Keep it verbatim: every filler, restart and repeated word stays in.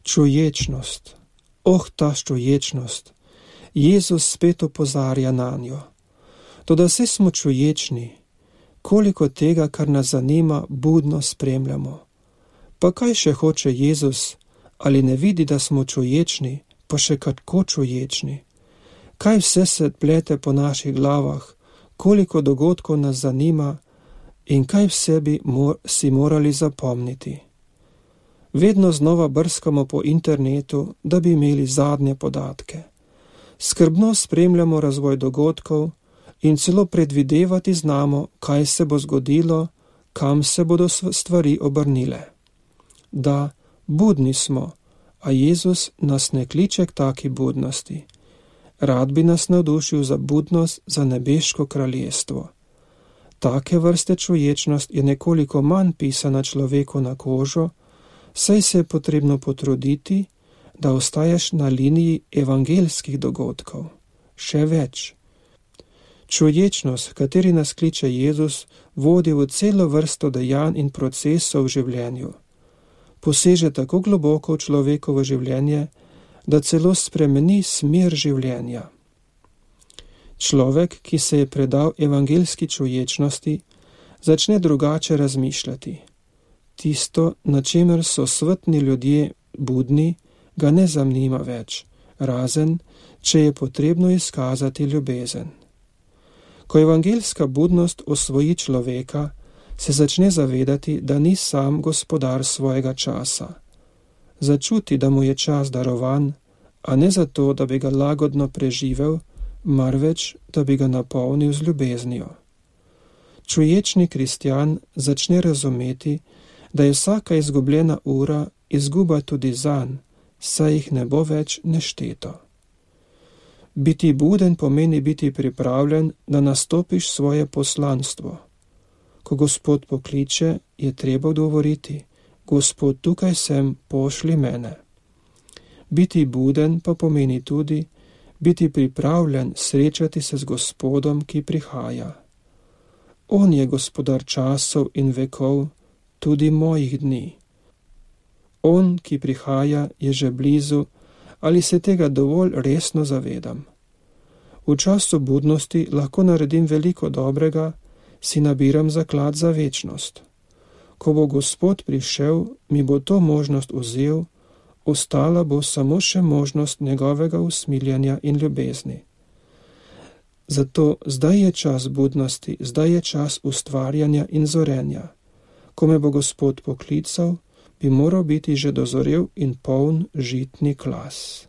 Čuječnost, oh ta čuječnost, Jezus spet opozarja na njo. Toda vse smo čuječni, koliko tega, kar nas zanima, budno spremljamo. Pa kaj še hoče Jezus, ali ne vidi, da smo čuječni, pa še kako čuječni? Kaj vse se plete po naših glavah, koliko dogodkov nas zanima in kaj vse bi mor, si morali zapomniti. Vedno znova brskamo po internetu, da bi imeli zadnje podatke. Skrbno spremljamo razvoj dogodkov in celo predvidevati znamo, kaj se bo zgodilo, kam se bodo stvari obrnile. Da, budni smo, a Jezus nas ne kliče k taki budnosti. Rad bi nas navdušil za budnost za nebeško kraljestvo. Take vrste čuječnost je nekoliko manj pisana človeku na kožo, saj se je potrebno potruditi, da ostaješ na liniji evangeljskih dogodkov. Še več. Čuječnost, kateri nas kliče Jezus, vodi v celo vrsto dejanj in procesov v življenju. Poseže tako globoko v človekovo življenje, da celo spremeni smer življenja. Človek, ki se je predal evangeljski čuječnosti, začne drugače razmišljati. Tisto, na čemer so svetni ljudje budni, ga ne zanima več, razen, če je potrebno izkazati ljubezen. Ko evangeljska budnost osvoji človeka, se začne zavedati, da ni sam gospodar svojega časa. Začuti, da mu je čas darovan, a ne zato, da bi ga lagodno preživel, marveč, da bi ga napolnil z ljubeznijo. Čuječni kristjan začne razumeti, da je vsaka izgubljena ura izguba tudi zanj, saj jih ne bo več nešteto. Biti buden pomeni biti pripravljen, da nastopiš svoje poslanstvo. Ko Gospod pokliče, je treba odgovoriti: Gospod, tukaj sem, pošli mene. Biti buden pa pomeni tudi biti pripravljen srečati se z Gospodom, ki prihaja. On je gospodar časov in vekov, tudi mojih dni. On, ki prihaja, je že blizu, ali se tega dovolj resno zavedam. V času budnosti lahko naredim veliko dobrega, si nabiram zaklad za večnost. Ko bo Gospod prišel, mi bo to možnost vzel, ostala bo samo še možnost njegovega usmiljanja in ljubezni. Zato zdaj je čas budnosti, zdaj je čas ustvarjanja in zorenja. Ko me bo Gospod poklical, bi moral biti že dozorel in poln žitni klas.